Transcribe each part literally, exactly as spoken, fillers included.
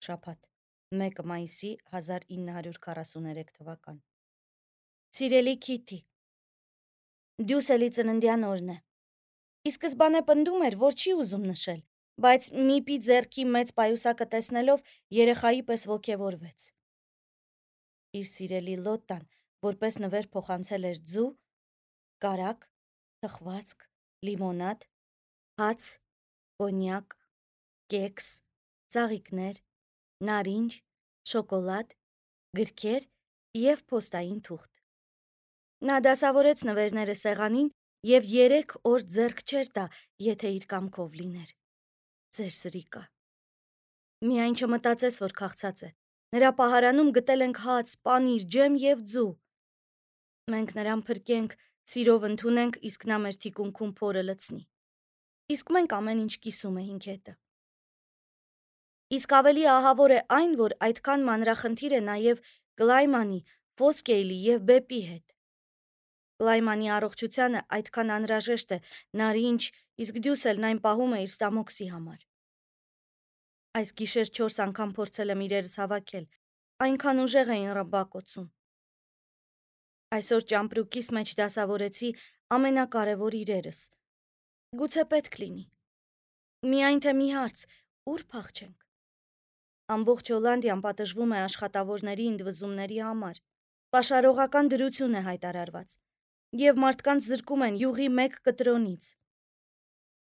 Շաբաթ, մեկը մայիսի հազար ինը հարյուր քառասուներեք թվական։ Սիրելի Քիթի, Դյուսելի ծննդյան օրն է։ Ի սկզբանե պնդում էր, որ չի ուզում նշել, բայց Միպի ձեռքի մեծ պայուսակը տեսնելով երեխայի պես ոգևորվեց։ Իր սիրելի Լոտտան, որպես նվեր փոխանցել էր ձու, կարագ, թխվածք, լիմոնադ, հաց, կոնյակ, կեքս, ծաղիկներ, նարինջ, շոկոլադ, գրքեր և փոստային թուղթ։ Նա դասավորեց նվերները սեղանին և երեք օր ձեռք չէր տա, եթե իր կամքով լիներ։ Ձեր սրիկա։ Միայն չմտածես, որ քաղցած է։ Նրա պահարանում գտել ենք հաց, պանիր, ջեմ և ձու։ Մենք նրան փրկենք, սիրով ընդունենք, իսկ նա մեր թիկունքում փորը լցնի։ Իսկ մենք ամեն ինչ կիսում էինք հետը։ Իսկ ավելի ահավոր է այն, որ այդքան մանրախնդիր է նաև Կլայմանի, Ֆոսկեյլի և Բեպի հետ։ Կլայմանի առողջությանը այդքան անհրաժեշտ է նարինջ, իսկ Դյուսելն այն պահում է իր ստամոքսի համար։ Այս գիշեր չորս անգամ փորձել եմ իրերս հավաքել, այնքան ուժեղ էին ռմբակոծում։ Այսօր ճամպրուկիս մեջ դասավորեցի ամենակարևոր իրերս։ Գուցե պետք լինի։ Միայն թե մի հարց՝ ուր փախչենք։ Ամբողջ Հոլանդիան պատժվում է աշխատավորների ընդվզումների համար։ Պաշարողական դրություն է հայտարարված, և մարդկանց զրկում են յուղի մեկ կտրոնից։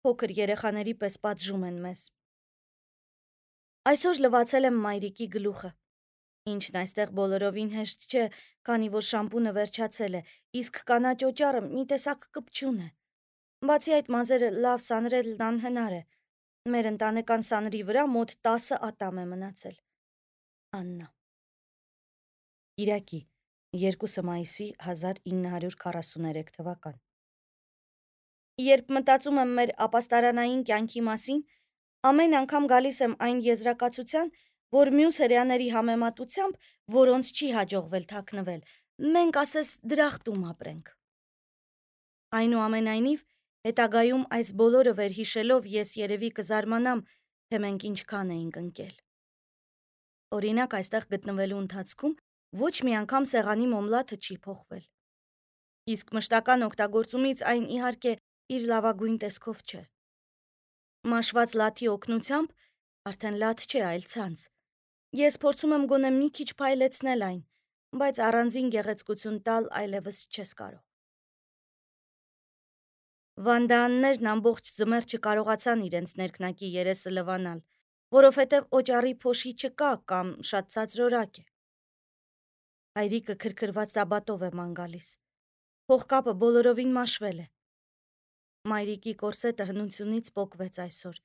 Փոքր երեխաների պես պատժում են մեզ։ Այսօր լվացել եմ մայրիկի գլուխը, ինչն այստեղ բոլորովին հեշտ չէ, քանի որ շամպունը վերջացել է, իսկ կանաչ օճառը մի տեսակ կպչուն է։ Բացի այդ, մազերը լավ սանրելն անհնար է։ Մեր ընտանեկան սանրի վրա մոտ տասը ատամ է մնացել։ Աննա։ Կիրակի, երկուսը մայիսի հազար ինը հարյուր քառասուներեք թվական։ Երբ մտածում եմ մեր ապաստարանային կյանքի մասին, ամեն անգամ գալիս եմ այն եզրակացության, որ մյուս հրեաների համեմատությամբ, որոնց չի հաջողվել թաքնվել, մենք ասես դրախտում ապրենք։ Այնուամենայնիվ, հետագայում այս բոլորը վերհիշելով ես երևի կզարմանամ, թե մենք ինչքան էինք ընկել։ Օրինակ, այստեղ գտնվելու ընթացքում ոչ մի անգամ սեղանի մոմլաթը չի փոխվել։ Իսկ մշտական օգտագործումից այն իհարկե իր լավագույն տեսքով չէ։ Մաշված լաթի օգնությամբ, արդեն լաթ չէ, այլ ցանց, ես փորձում եմ գոնե մի քիչ փայլեցնել այն, բայց առանձին գեղեցկություն տալ այլևս չես կարող։ Վանդաաններն ամբողջ ձմեռ չկարողացան իրենց ներքնակի երեսը լվանալ, որովհետև օճառի փոշի չկա կամ շատ ցածրորակ է։ Հայրիկը քրքրված տաբատով է ման գալիս։ Փողկապը բոլորովին մաշվել է։ Մայրիկի կորսետը հնությունից պոկվեց այսօր,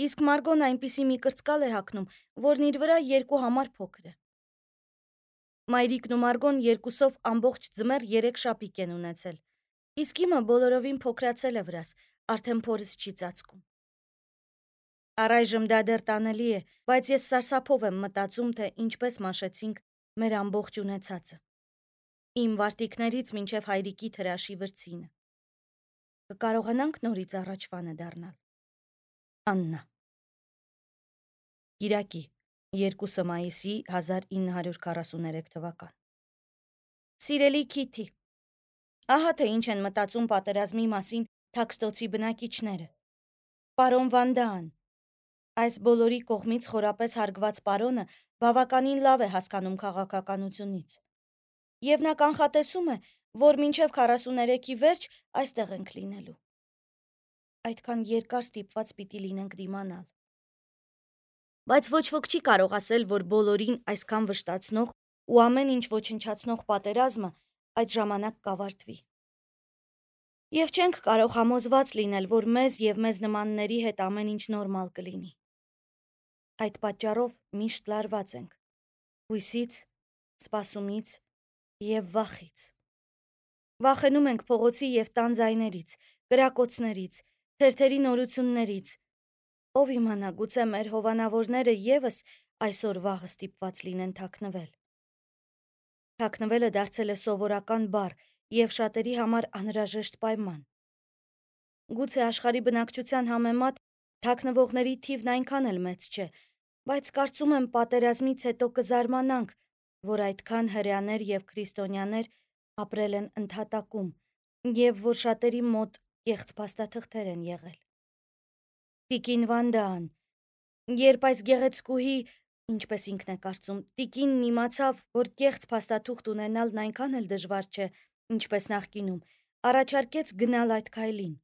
իսկ Մարգոն այնպիսի մի կրծկալ է հագնում, որն իր վրա երկու համար փոքր է։ Մայրիկն ու Մարգոն երկուսով ամբողջ ձմեռ երեք շապիկ են ունեցել, իսկ իմը բոլորովին փոքրացել է վրաս, արդեն փորս չի ծածկում։ Առայժմ դա դեռ տանելի է, բայց ես սարսափով եմ մտածում, թե ինչպես մաշեցինք մեր ամբողջ ունեցածը։ Իմ վարտիքներից մինչև հայրիկի թրաշի վրձինը։ Կկարողանանք նորից առաջվանը դառնալ։ Աննա։ Կիրակի, երկուսը մայիսի հազար ինը հարյուր քառասուներեք թվական։ Սիրելի Քիթի, ահա թե ինչ են մտածում պատերազմի մասին Թաքստոցի բնակիչները։ Պարոն Վանդաան, այս բոլորի կողմից խորապես հարգված պարոնը բավականին լավ է հասկանում քաղաքականությունից։ Եվ նա կանխատեսում է, որ մինչև քառասուներեքի վերջ այստեղ ենք լինելու։ Այդքան երկար ստիպված պիտի լինենք դիմանալ։ Բայց ոչ ոք չի կարող ասել, որ բոլորին այսքան վշտացնող ու ամեն ինչ ոչնչացնող պատերազմը այդ ժամանակ կավարտվի։ Եվ չենք կարող համոզված լինել, որ մեզ և մեզ նմանների հետ ամեն ինչ նորմալ կլինի։ Այդ պատճառով միշտ լարված ենք։ Հույսից, սպասումից և վախից։ Վախենում ենք փողոցի և տան ձայներից, կրակոցներից, թերթերի նորություններից։ Ով իմանա, գուցե մեր հովանավորները ևս այսօր վաղը ստիպված լինեն թաքնվել։ Թաքնվելը դարձել է սովորական բառ և շատերի համար անհրաժեշտ պայման։ Գուցե աշխարհի բնակչության համեմատ թաքնվողների թիվն այնքան էլ մեծ չէ, Բայց կարծում եմ պատերազմից հետո կզարմանանք, որ այդքան հրեաներ եւ քրիստոնյաներ ապրել են ընդհատակում եւ որ շատերի մոտ կեղծ փաստաթղթեր են եղել։ Տիկին Վանդան, երբ այս գեղեցկուհի, ինչպես ինքն է կարծում, տիկինն իմացավ, որ կեղծ փաստաթուղթ ունենալն այնքան էլ դժվար չէ, ինչպես նախկինում, առաջարկեց գնալ այդ քայլին։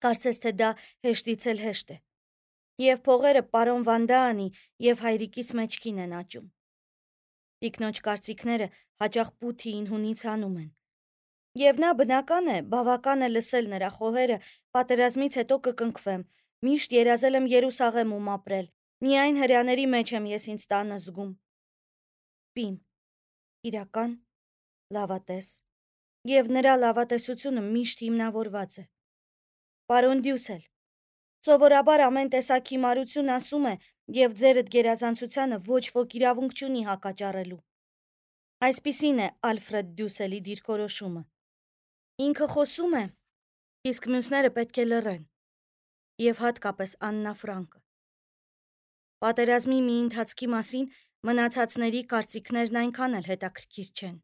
Կարծես թե դա հեշտից էլ հեշտ է։ Եվ փողերը պարոն Վանդանի եւ հայրիկիս մեջքին են աճում։ Տիկնոջ կարծիքները հաճախ Պութիին հունից հանում են։ Եվ նա բնական է, բավական է լսել նրա խոհերը, պատերազմից հետո կկնքվեմ, միշտ երազել եմ Երուսաղեմում ապրել, միայն հրեաների մեջ եմ ես ինձ տանը զգում։ Պիմ, իրական, լավատես, եւ նրա լավատեսությունը միշտ հիմնավորված է։ Պարոն Դյուսել, սովորաբար ամեն տեսակ հիմարություն ասում է եւ ձերդ գերազանցությանը ոչ ոք իրավունք չունի հակաճառելու։ Այսպիսին է Ալֆրեդ Դյուսելի դիրքորոշումը։ Ինքը խոսում է, իսկ մյուսները պետք է լռեն, եւ հատկապես Աննա Ֆրանկը։ Պատերազմի մի ընթացքի մասին մնացածների կարծիքներն այնքան էլ հետաքրքիր չեն։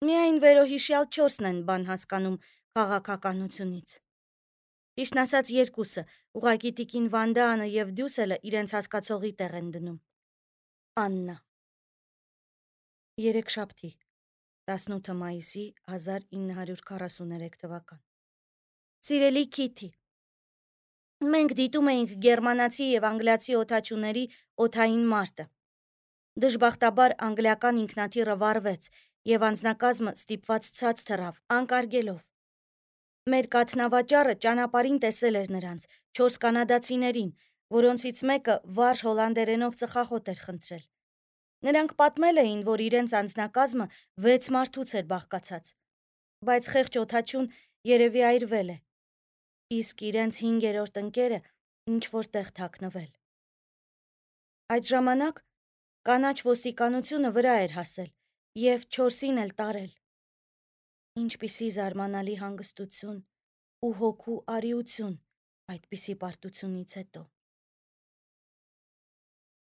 Միայն վերոհիշյալ չորսն են բան հասկանում քաղաքականությունից։ Ճիշտն ասած երկուսը, ուղղակի տիկին Վանդանը եւ Դյուսելը իրենց հասկացողի տեղ են դնում։ Աննա։ Երեքշաբթի, տասնութ մայիսի հազար ինը հարյուր քառասուներեք թվական։ Սիրելի Քիթի, մենք դիտում էինք գերմանացի եւ անգլիացի օդաչուների օդային մարտը։ Դժբախտաբար անգլիական ինքնաթիռը վառվեց եւ անձնակազմը ստիպված ցած թռավ, անկարգելով։ Մեր կաթնավաճառը ճանապարհին տեսել էր նրանց, չորս կանադացիներին, որոնցից մեկը վարժ հոլանդերենով ծխախոտ էր խնդրել։ Նրանք պատմել էին, որ իրենց անձնակազմը վեց մարդուց էր բաղկացած, բայց խեղճ օդաչուն երևի այրվել է, իսկ իրենց հինգերորդ ընկերը ինչ-որ տեղ թաքնվել։ Այդ ժամանակ կանաչ ոստիկանությունը վրա էր հասել եւ չորսին էլ տարել։ Ինչպիսի զարմանալի հանգստություն ու հոգու արիություն այդպիսի պարտությունից հետո։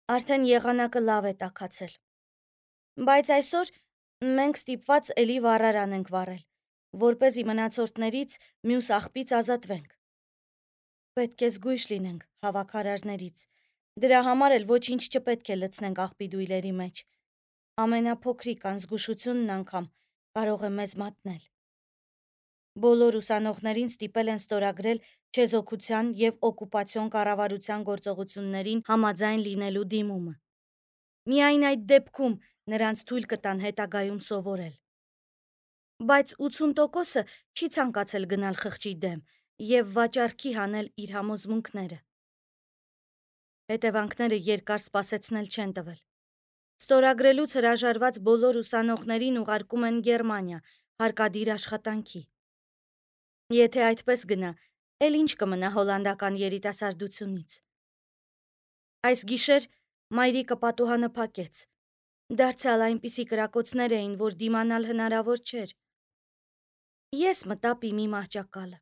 Արդեն եղանակը լավ է տաքացել։ Բայց այսօր մենք ստիպված էլի վառարան ենք վառել, որպեսզի մնացորդներից մյուս աղբից ազատվենք։ Պետք է զգույշ լինենք հավաքարարներից։ Դրա համար էլ ոչինչ չպետք է լցնենք աղբի դույլերի մեջ։ Ամենափոքրիկ անզգուշությունն անգամ կարող է մեզ մատնել։ Բոլոր ուսանողներին ստիպել են ստորագրել չեզոքության եւ օկուպացիոն կառավարության գործողություններին համաձայն լինելու դիմումը։ Միայն այդ դեպքում նրանց թույլ կտան հետագայում սովորել։ Բայց ութսուն տոկոսը չի ցանկացել գնալ խղճի դեմ եւ վաճառքի հանել իր համոզմունքները։ Հետևանքները երկար սպասեցնել չեն տվել։ Ստորագրելուց հրաժարված բոլոր ուսանողներին ուղարկում են Գերմանիա հարկադիր աշխատանքի։ Եթե այդպես գնա, էլ ինչ կմնա հոլանդական երիտասարդությունից։ Այս գիշեր մայրիկը պատուհանը փակեց։ Դարձյալ այնպիսի կրակոցներ էին, որ դիմանալ հնարավոր չէր։ Ես մտա Պիմի մահճակալը։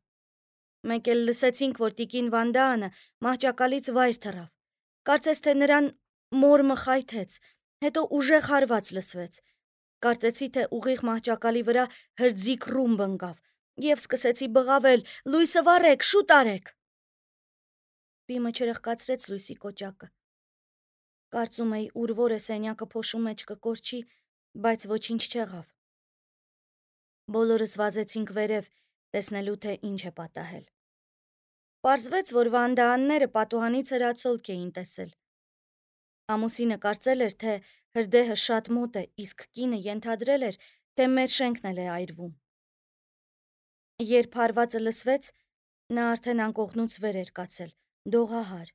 Մենք էլ լսեցինք, որ տիկին Վանդանը մահճակալից վայր թռավ։ Կարծես թե նրան մորմը խայթեց, հետո ուժեղ հարված լսվեց։ Կարծեցի, թե ուղիղ մահճակալի վրա հրձիկ ռումբ ընկավ եւ սկսեցի բղավել. «Լույսը վառեք, շուտ արեք»։ Պիմը չրխկացրեց լույսի կոճակը։ Կարծում էի, ուր որ է սենյակը փոշու մեջ կկորչի, բայց ոչինչ չեղավ։ Բոլորս վազեցինք վերև, տեսնելու թե ինչ է պատահել։ Պարզվեց, որ Վանդաանները պատուհանից հրացոլք էին տեսել։ Ամուսինը կարծել էր, թե հրդեհը շատ մոտ է, իսկ կինը ենթադրել էր, թե մեր շենքն էլ է այրվում։ Երբ հարվածը լսվեց, նա արդեն անկողնուց վեր էր կացել, դողահար։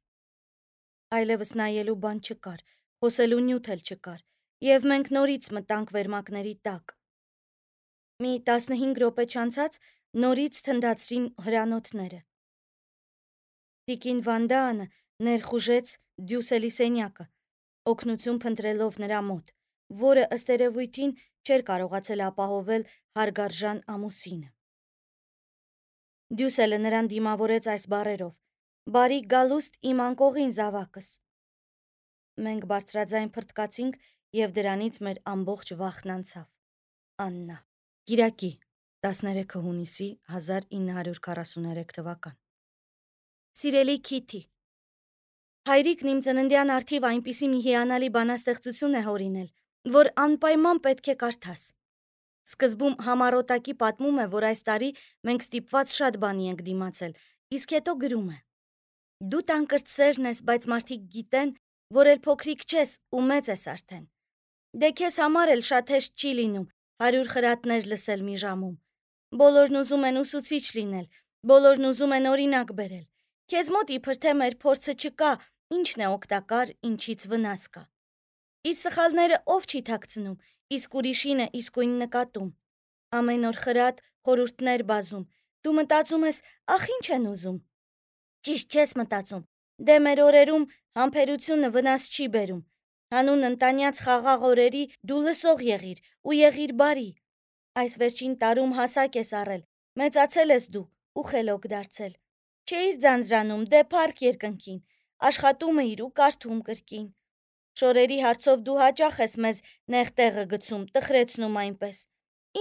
Այլևս նայելու բան չկար, խոսելու նյութ էլ չկար, եւ մենք նորից մտանք վերմակների տակ։ Մի տասնհինգ րոպե չանցած նորից թնդացրին հրանոթները։ Տիկին Վանդանը ներխուժեց Դյուսելի սենյակը, օգնություն փնտրելով նրա մոտ, որը ըստ երևույթին չէր կարողացել ապահովել հարգարժան ամուսինը։ Դյուսելը նրան դիմավորեց այս բառերով. «Բարի գալուստ իմ անկողին զավակս»։ Մենք բարձրաձայն փրտկացինք և դրանից մեր ամբողջ վախն անցավ։ Աննա։ Կիրակի, տասներեքը հունիսի հազար ինը հարյուր քառասուներեք թվական։ Սիրելի Քիթի, հայրիկն իմ ծննդյան առթիվ այնպիսի մի հիանալի բանաստեղծություն է հորինել, որ անպայման պետք է կարդաս։ Սկզբում համառոտակի պատմում է, որ այս տարի մենք ստիպված շատ բանի ենք դիմացել, իսկ հետո գրում է. Դու տանկրտսերն ես, բայց մարդիկ գիտեն, որ էլ փոքրիկ չես ու մեծ ես արդեն։ Դե քեզ համար էլ շատ հեշտ չի լինում հարյուր խրատներ լսել մի ժամում։ Բոլորն ուզում են ուսուցիչ լինել, բոլորն ուզում են օրինակ բերել։ Քեզ մոտ իբր թե մեր փորձը չկա, ինչն է օգտակար, ինչից վնաս կա։ Իր սխալները ով չի թաքցնում, իսկ ուրիշին է իսկույն նկատում։ Ամեն օր խրատ, խորհուրդներ բազում։ Դու մտածում ես, ախ ինչ են ուզում։ Ճիշտ չես մտածում։ Դե մեր օրերում համբերությունը վնաս չի բերում։ Հանուն ընտանյաց խաղաղ օրերի դու լսող եղիր ու եղիր բարի։ Այս վերջին տարում հասակ ես առել, մեծացել ես դու ու խելոք դարձել։ Չէիր ձանձրանում, դե փառք երկնքին, աշխատում էիր ու կարդում կրկին։ Շորերի հարցով դու հաճախ ես մեզ նեղ տեղը գցում, տխրեցնում այնպես։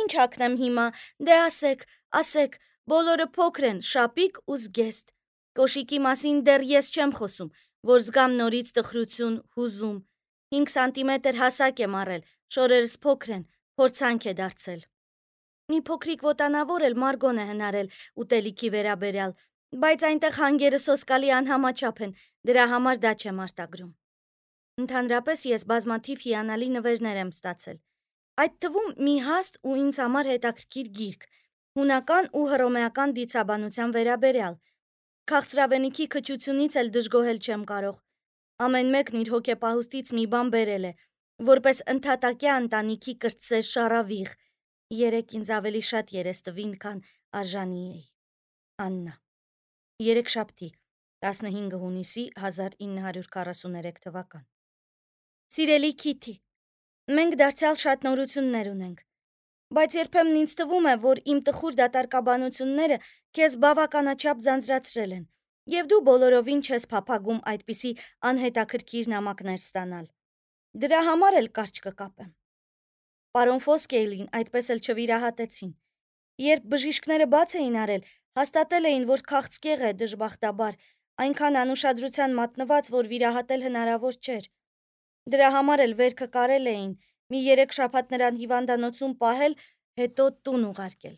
Ինչ հագնեմ հիմա, դե ասեք, ասեք, բոլորը փոքր են, շապիկ ու զգեստ։ Կոշիկի մասին դեռ ես չեմ խոսում, որ զգամ նորից տխրություն, հուզում։ հինգ սանտիմետր հասակ եմ առել, շորերս փոքր են, փորձանք է դարձել։ Մի փոքրիկ ոտանավոր էլ Մարգոն է հնարել ուտելիքի վերաբերյալ, բայց այնտեղ հանգերը սոսկալի անհամաչափ են, դրա համար դա չեմ արտագրում։ Ընդհանրապես ես բազմաթիվ հիանալի նվերներ եմ ստացել։ Այդ թվում մի հաստ ու ինձ համար հետաքրքիր գիրք, հունական ու հռոմեական դիցաբանության վերաբերյալ։ Քաղցրավենիքի քչությունից էլ դժգոհել չեմ կարող։ Ամեն մեկն իր հոգեպահուստից մի բան բերել է, որպես ընդհատակյա ընտանիքի կրտսեր շառավիղ։ Երեկ ինձ ավելի շատ երես տվին, քան արժանի էի։ Աննա։ Երեքշաբթի, տասնհինգ հունիսի հազար ինը հարյուր քառասուներեք թվական։ Սիրելի Քիթի, մենք դարձյալ շատ նորություններ ունենք, բայց երբեմն ինձ թվում է, որ իմ տխուր դատարկաբանությունները քեզ բավականաչափ ձանձրացրել են, և դու բոլորովին չես փափագում այդպիսի անհետաքրքիր նամակներ ստանալ։ Դրա համար էլ կարճ կկապեմ։ Պարոն Ֆոսկեյլին այդպես էլ չվիրահատեցին։ Երբ բժիշկները բաց էին արել, հաստատել էին, որ քաղցկեղ է, դժբախտաբար, այնքան անուշադրության մատնված, որ վիրահատել հնարավոր չէր։ Դրա համար էլ վերքը կարել էին, մի երեք շաբաթ նրան հիվանդանոցում պահել, հետո տուն ուղարկել։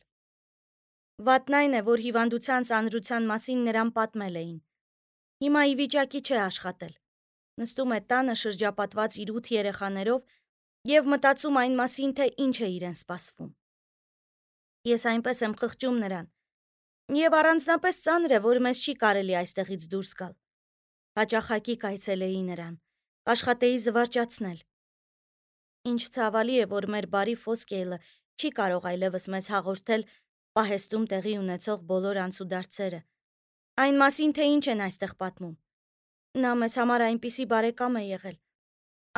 Վատն այն է, որ հիվանդության ծանրության մասին նրան պատմել էին։ Հիմա ի վիճակի չէ աշխատել։ Նստում է տանը շրջապատված իր ութ երեխաներով և մտածում այն մասին, թե ինչ է իրեն սպասվում։ Ես այնպես եմ խղճում նրան, և առանձնապես ծանր է, որ մեզ չի կարելի այստեղից դուրս գալ։ Հաճախակի կայցելեի նրան, աշխատեի զվարճացնել։ Ինչ ցավալի է, որ մեր բարի Ֆոսկեյլը չի կարող այլևս մեզ հաղորդել պահեստում տեղի ունեցող բոլոր անցուդարձերը, այն մասին, թե ինչ են այստեղ պատմում։ Նա մեզ համար այնպիսի բարեկամ է եղել,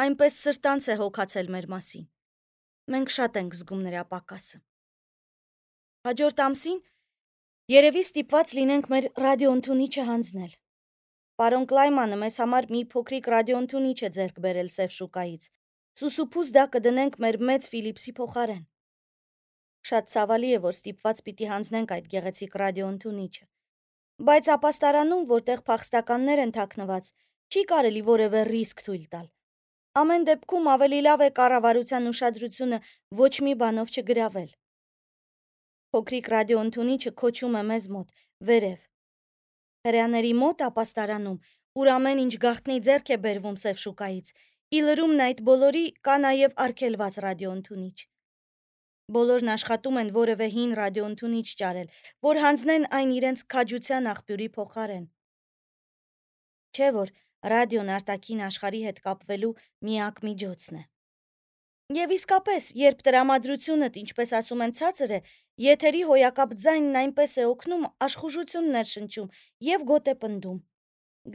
այնպես սրտանց է հոգացել մեր մասին։ Մենք շատ ենք զգում նրա պակասը։ Հաջորդ ամսին երևի ստիպված լինենք մեր ռադիոընդունիչը հանձնել։ Պարոն Կլայմանը մեզ համար մի փոքրիկ ռադիոընդունիչ է ձեռք բերել Սև շուկայից։ Սուսուփուզ դա կդնենք մեր մեծ Ֆիլիպսի փոխարեն։ Շատ ցավալի է, որ ստիպված պիտի հանձնենք այդ գեղեցիկ ռադիոընդունիչը։ Բայց ապաստարանում, որտեղ փախստականներ են թաքնված, չի կարելի որևէ ռիսկ թույլ տալ։ Ամեն դեպքում ավելի լավ է կառավարության ուշադրությունը ոչ մի բանով չգրավել։ Փոքրիկ ռադիոընդունիչը քոչում է մեզ մոտ, վերև։ Հրեաների մոտ ապաստարանում, ուր ամեն ինչ գաղտնի ձեռք է բերվում Սև շուկայից, ի լրումն այդ բոլորի կա նաև արգելված ռադիոընդունիչ։ Բոլորն աշխատում են որևէ հին ռադիոընդունիչ ճարել, որ հանձնեն այն իրենց քաջության աղբյուրի փոխարեն։ Չէ՞ որ ռադիոն արտաքին աշխարհի հետ կապվելու միակ միջոցն է։ Եվ իսկապես, երբ տրամադրությունդ, ինչպես ասում են, ցածր է, եթերի հոյակապ ձայնն այնպես է օգնում, աշխուժություններ շնչում և գոտ է պնդում։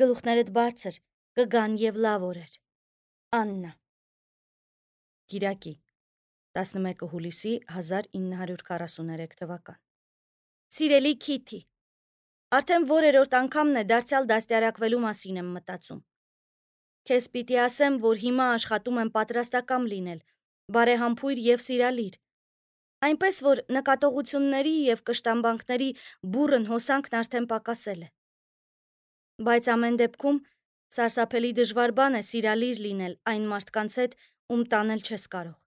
Գլուխներդ բարձր, կգան և լավ օրեր։ Աննա։ Կիրակի, տասնմեկը հուլիսի հազար ինը հարյուր քառասուներեք թվական։ Սիրելի Քիթի, արդեն որերորդ անգամն է դարձյալ դաստիարակվելու մասին եմ մտածում։ Քեզ պիտի ասեմ, որ հիմա աշխատում եմ պատրաստակամ լինել, բարեհամբույր եւ սիրալիր։ Այնպես որ նկատողությունների եւ կշտամբանքների բուռն հոսանքն արդեն պակասել է։ Բայց ամեն դեպքում սարսափելի դժվար բան է սիրալիր լինել այն մարդկանց հետ, ում տանել չես կարող։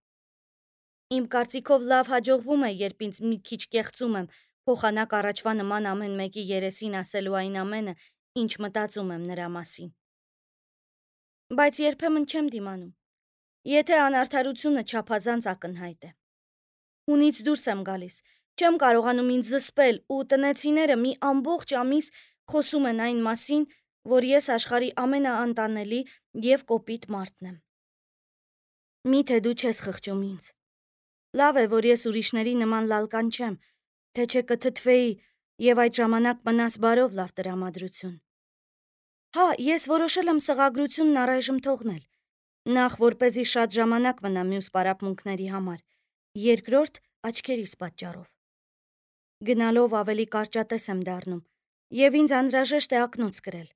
Իմ կարծիքով լավ հաջողվում է, երբ ինձ մի քիչ կեղծում եմ, փոխանակ առաջվա նման ամեն մեկի երեսին ասելու այն ամենը, ինչ մտածում եմ նրա մասին։ Բայց երբեմն չեմ դիմանում, եթե անարդարությունը չափազանց ակնհայտ է։ Հունից դուրս եմ գալիս, չեմ կարողանում ինձ զսպել ու տնեցիները մի ամբողջ ամիս խոսում են այն մասին, որ ես աշխարհի ամենաանտանելի եւ կոպիտ մարդն եմ։ Միթե դու չես խղճում ինձ։ Լավ է, որ ես ուրիշների նման լալկան չեմ, թե չէ կթթվեի եւ այդ ժամանակ մնաս բարով լավ տրամադրություն։ Հա, ես որոշել եմ սղագրությունն առայժմ թողնել, նախ որպեսզի շատ ժամանակ մնա մյուս պարապմունքների համար, երկրորդ աչքերիս պատճառով։ Գնալով ավելի կարճատես եմ դառնում եւ ինձ անհրաժեշտ է ակնոց կրել։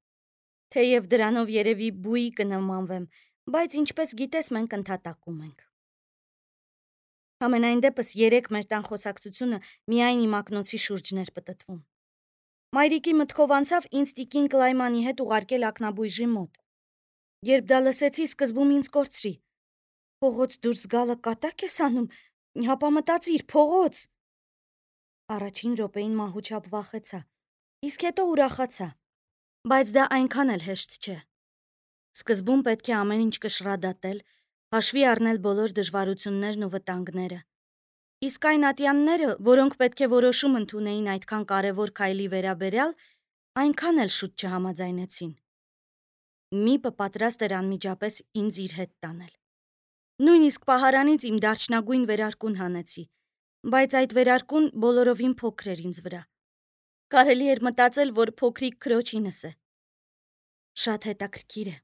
Թեև դրանով երևի բուի կնմանվեմ, բայց ինչպես գիտես, մենք ընդհատակում ենք։ Համենայն դեպս երեք մեր տան խոսակցությունը միայն իմ ակնոցի շուրջն էր պտտվում։ Մայրիկի մտքով անցավ ինձ տիկին Կլայմանի հետ ուղարկել ակնաբույժի մոտ։ Երբ դա լսեցի, սկզբում ինձ կորցրի։ Փողոց դուրս գալը կատակ ես անում, հապա մտածիր, փողոց։ Առաջին րոպեին մահուչապ վախեցա, իսկ հետո ուրախացա։ Բայց դա այնքան էլ հեշտ չէ։ Սկզբում պետք է ամեն ինչ կշռադատել, հաշվի առնել բոլոր դժվարություններն ու վտանգները։ Իսկ այն ատյանները, որոնք պետք է որոշում ընդունեին այդքան կարևոր քայլի վերաբերյալ, այնքան էլ շուտ չհամաձայնեցին։ Միպը պատրաստ էր անմիջապես ինձ իր հետ տանել։ Նույնիսկ պահարանից իմ դարչնագույն վերարկուն հանեցի, բայց այդ վերարկուն բոլորովին փոքր էր ինձ վրա։ Կարելի էր մտածել, որ փոքրիկ քրոջինս է։ Շատ հետաքրքիր է,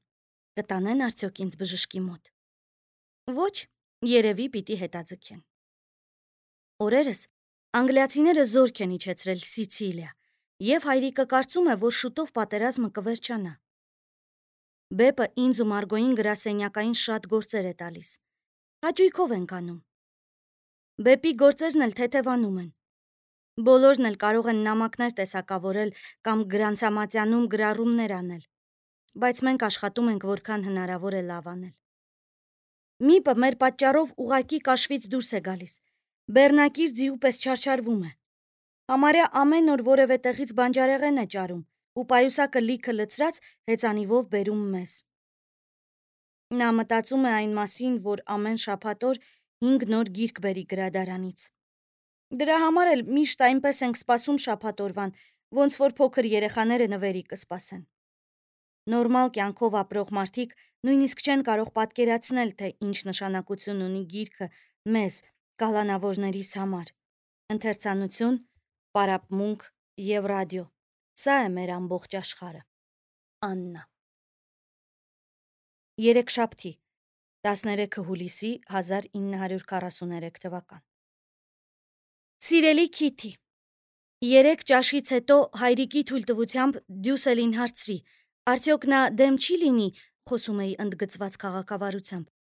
կտանեն արդյոք ինձ բժշկի մոտ։ Ոչ, երևի պիտի հետաձգեն։ Օրերս անգլիացիները զորք են իջեցրել Սիցիլիա, եւ հայրիկը կարծում է, որ շուտով պատերազմը կվերջանա։ Բեպը ինձ ու Մարգոյին գրասենյակային շատ գործեր է տալիս։ Հաճույքով ենք անում։ Բեպի գործերն էլ թեթևանում են։ Բոլորն էլ կարող են նամակներ տեսակավորել կամ գրանցամատյանում գրառումներ անել, բայց մենք աշխատում ենք որքան հնարավոր է լավ անել։ Միպը մեր պատճառով ուղակի կաշվից դուրս է գալիս, բեռնակիր ձիու պես չարչարվում է։ Համարյա ամեն օր որևէ տեղից բանջարեղեն է ճարում ու պայուսակը լիքը լցրած հեծանիվով բերում մեզ։ Նա մտածում է այն մասին, որ ամեն շաբաթ օր հինգ նոր գիրք բերի գրադարանից։ Դրա համար էլ միշտ այնպես ենք սպասում շաբաթ օրվան, ոնց որ փոքր երեխաները նվերի կսպասեն։ Նորմալ կյանքով ապրող մարդիկ նույնիսկ չեն կարող պատկերացնել, թե ինչ նշանակություն ունի գիրքը մեզ, կալանավորներիս համար։ Ընթերցանություն, պարապմունք եւ ռադիո։ Սա է մեր ամբողջ աշխարհը։ Աննա։ Երեքշաբթի, տասներեքը հուլիսի հազար ինը հարյուր քառասուներեք թվական։ Սիրելի Քիթի, երեք ճաշից հետո հայրիկի թույլտվությամբ Դյուսելին հարցրի, արդյոք նա դեմ չի լինի, խոսում էի ընդգծված քաղաքավարությամբ,